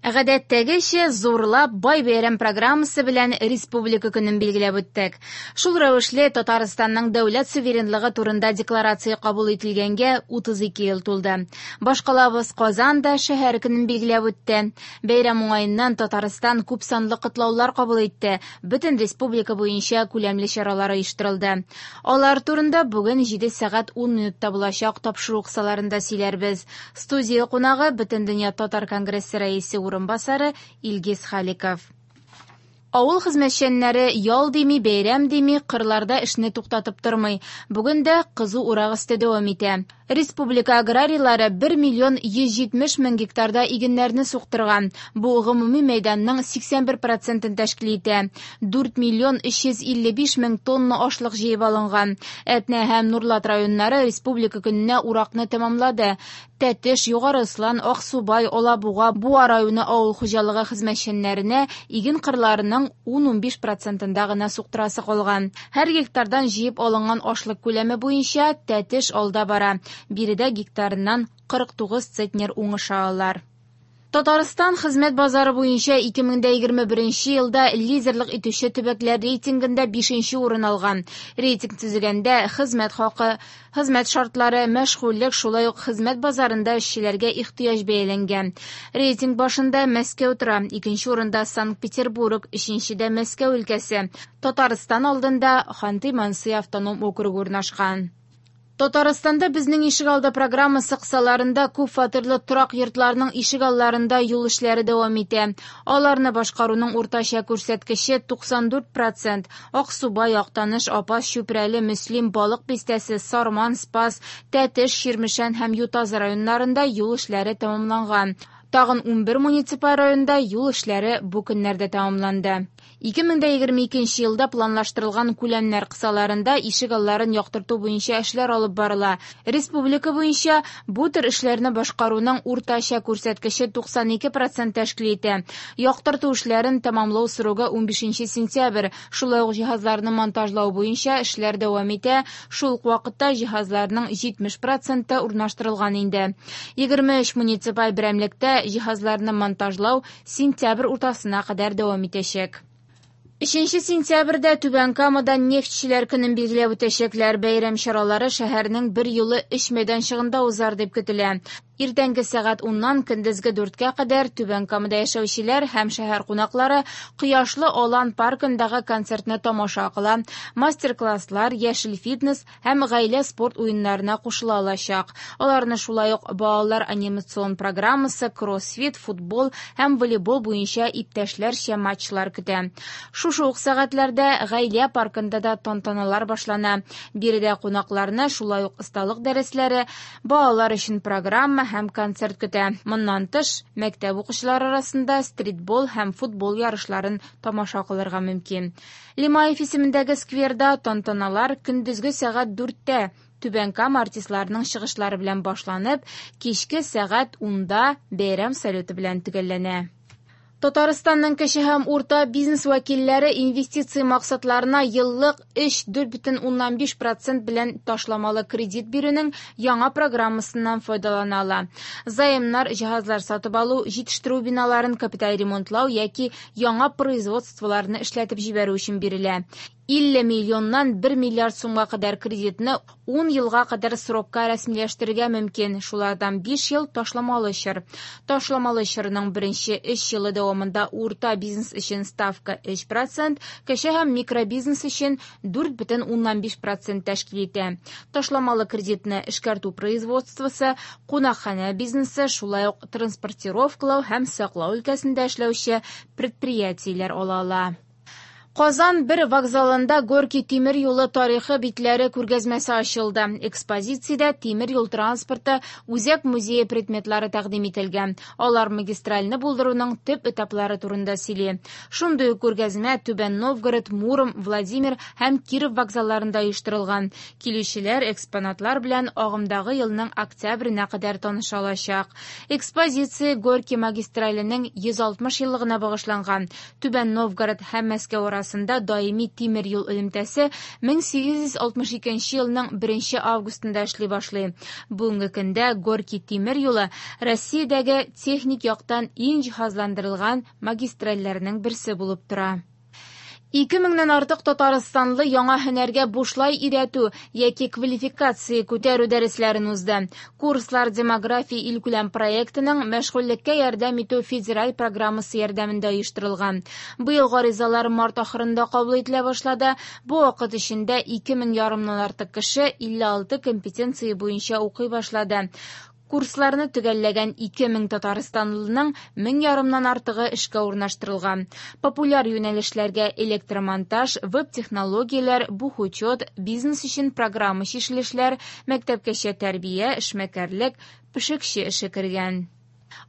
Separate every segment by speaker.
Speaker 1: Гадәттәгечә, зурлап, бай бәйрәм программасы белән Республика көнен билгеләп үттек. Шул рәвешле Татарстанның дәүләт суверенлыгы турында декларация кабул ителгәнгә 32 ел тулды. Башкалабыз Казан да шәһәр көнен билгеләп үтте. Бәйрәм уңаеннан Татарстан күпсанлы котлаулар кабул итте, бөтен республика буенча күләмле чаралар оештырылды. Алар турында бүген 7 сәгать 10 минутта булачак тапшыру кысаларында сөйләрбез. Студия кунагы Бөтендөнья татар конгрессы рәисе урынбасары Илгиз Халиков. Авыл хезмәтчәннәре ял дими, бәйрәм дими, кырларда эшне туктатып тормый. Бүген дә кызу урак өсте дәвам итә. Республика аграрийлары 1 миллион 170 мең гектарда игеннәрне суктырган. Бу гомуми мәйданның 81 процентын тәшкил итә. 4 миллион 355 мең тонна ашлык җыеп алынган. Әтнә һәм Нурлат районнары Республика көненә уракны тәмамлады. Тәтеш, Югары Ослан, Аксубай, Алабуга, Буа районы авыл хуҗалыгы хезмәтчәннәренә иген кырларының 10-15 процентында гына суктырасы калган. Һәр гектардан җыеп алынган ашлык күләме буенча Тәтеш алда бара. Биредә гектарыннан 49 центнер уңыш алалар. Татарстан хезмәт базары буенча 2021 елда лидерлык итүче төбәкләр рейтингында 5 урын алган. Рейтинг төзегәндә хезмәт хакы, хезмәт шартлары, мәшгульлек, шулай ук хезмәт базарында эшчеләргә ихтыяҗ бәяләнгән. Рейтинг башында Мәскәү тора, икенче урында Санкт-Петербург, өченчедә Мәскәү өлкәсе. Татарстан алдында Ханты-Манси автоном округы урнашкан. Татарстанда Безнең ишегалды программасы кысаларында күп фатирлы торак йортларның ишегалларында юл эшләре дәвам итә. Аларны башкаруның уртача күрсәткече 94 процент. Аксубай, Актаныш, Апас, Чүпрәле, Мөслим, Балык Бистәсе, Сарман, Спас, Тәтеш, Чирмешән һәм Ютазы районнарында юл эшләре тәмамланган. Тагын 11 муниципаль районда юл эшләре бу көннәрдә тәмамланды. 2022 елда планлаштырылган күләмнәр кысаларында ишегалларын яктырту буенча эшләр алып барыла. Республика буенча бу төр эшләрне башкаруның уртача күрсәткече 92 процент тәшкил итә. Яктырту эшләрен тәмамлау срогы 15 сентябрь. Шулай ук җиһазларны монтажлау буенча эшләр дәвам итә. Шул ук вакытта җиһазларның 70 проценты урнаштырылган инде. 23 муниципаль берәмлектә җиһазларны монтажлау сентябрь уртасына кадәр дәвам итәчәк. 3 сентябрьдә Түбән Камада нефтьчеләр көнен билгеләп үтәчәкләр. Бәйрәм чаралары шәһәрнең бер юлы өч мәйданчыгында узар дип көтелә. Иртәнге сәгать 10-нан көндезге 4-кә кадәр Түбән Камада яшәүчеләр һәм шәһәр кунаклары Кояшлы Алан паркындагы концертны тамаша кыла. Мастер-класслар, яшел фитнес һәм гаилә спорт уеннарына кушыла алачак. Аларны шулай ук балалар анимацион программасы, кроссфит, футбол һәм волейбол буенча иптәшләрчә матчлар көтә. Шушы ук сәгатьләрдә гаилә паркында да тантаналар башлана. Биредә кунакларны шулай ук осталык дәресләре, балалар өчен программа һәм концерт көтә. Моннан тыш, мәктәп укучылары арасында стритбол һәм футбол ярышларын тамаша кылырга мөмкин. Лимаев исемендәге скверда тантаналар көндезге сәгать 4-тә Түбән Кама артистларының чыгышлары белән башланып, кичке сәгать 10-да бәйрәм салюты белән төгәлләнә. Татарстанның кече һәм урта бизнес вәкилләре инвестиция максатларына еллык 3,4,5 процент белән ташламалы кредит бирүнең яңа программасыннан файдалана ала. Заемнар җиһазлар сатып алу, җитештерү биналарын капиталь ремонтлау яки яңа производстволарны эшләтеп җибәрү өчен бирелә. 50 миллионнан 1 миллиард сумга кадәр кредитны 10 елга кадәр срокка рәсмиләштерергә мөмкин. Шулардан 5 ел ташламалы чор. Ташламалы чорның беренче 3 елы дәвамында урта бизнес өчен ставка 3%, кече һәм микробизнес өчен 4,5% тәшкил итә. Ташламалы кредитны эшкәртү производствосы, кунакханә бизнесы, шулай ук транспортировкалау һәм саклау өлкәсендә эшләүче предприятиеләр ала ала. Казан бер вокзалында Горький тимер юлы тарихы битләре күргәзмәсе ачылды. Экспозициядә тимер юл транспорты үзәк музее предметлары тәкъдим ителгән. Алар магистральны булдыруның төп этаплары турында сөйли. Шундый ук күргәзмә Түбән Новгород, Муром, Владимир һәм Киров вокзалларында оештырылган. Килүчеләр экспонатлар белән агымдагы елның октябренә кадәр таныша алачак. Экспозиция Горький магистраленең 160 еллыгына багышланган. Түбән Новгород һәм Мәскәү арасында арасында даими тимер юл элемтәсе 1862 елның 1 августында эшли башлый. Бүгенге көндә Горький тимер юлы Россиядәге техник яктан иң җиһазландырылган магистральләрнең берсе булып тора. 2 меңнән артык татарстанлы яңа һөнәргә бушлай өйрәтү яки квалификация күтәрү дәресләрен узды. Курслар «Демография» илкүләм проектының мәшгульлеккә ярдәм итү федераль программасы ярдәмендә оештырылган. Быел гаризалар март ахырында кабул ителә башлады. Бу вакыт эчендә 2 мең ярымнан артык кеше 56 компетенция буенча укый башлады. Курсларны төгәлләгән 2000 татарстанлының мең ярымнан артыгы эшкә урнаштырылган. Популяр юнәлешләргә электромонтаж, веб-технологияләр, бухучет, бизнес өчен программа чишелешләр, мәктәпкәчә тәрбия, эшмәкәрлек, пешекче эше кергән.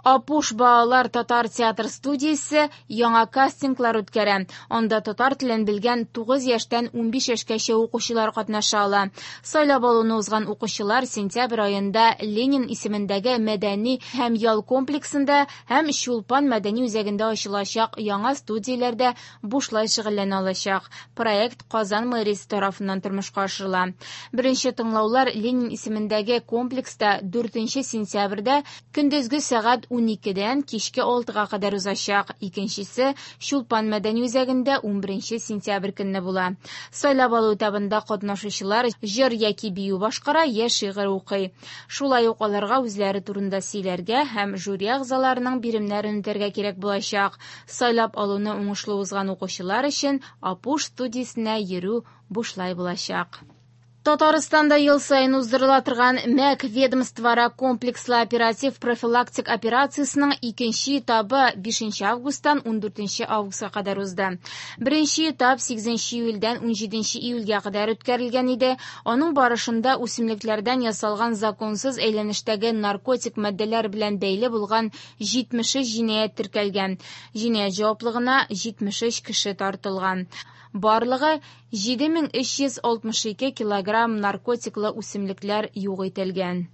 Speaker 1: Апуш балалар татар театр студиясе яңа кастинглар үткәрә. Анда татар телен белгән 9 яшьтән 15 яшькәчә укучылар катнаша ала. Сайлап алуны узган укучылар сентябрь аенда Ленин исемендәге мәдәни һәм ял комплексында һәм Чулпан мәдәни үзәгендә ачылачак яңа студияләрдә бушлай шөгыльләнә алачак. Проект Казан мэриясе тарафыннан тормышка ашырыла. Беренче тыңлаулар Ленин исемендәге комплекста 4 сентябрьдә көндезге сәгать 12-дән кичке 6-га кадәр узачак. Икенчесе Чулпан мәдәни үзәгендә 11 сентябрь көнне була. Сайлап алу этабында катнашучылар җыр яки бию башкара, я шигырь укый. Шулай ук аларга үзләре турында сөйләргә һәм жюри әгъзаларының биремнәрен үтәргә кирәк булачак. Сайлап алуны уңышлы узган укучылар өчен Апуш студиясенә йөрү бушлай булачак. Татарстанда ел саен уздырыла торган МӘК ведомствоара комплекслы оператив профилактик операциясенең икенче этабы 5 августтан 14 августка кадәр узды. Беренче этап 8 июльдән 17 июльгә кадәр үткәрелгән иде. Аның барышында үсемлекләрдән ясалган законсыз әйләнештәге наркотик матдәләр белән бәйле булган 73 җинаять теркәлгән. Җинаять җаваплыгына 73 кеше тартылган. Барлыгы 7362 килограмм наркотиклы үсемлекләр юк ителгән.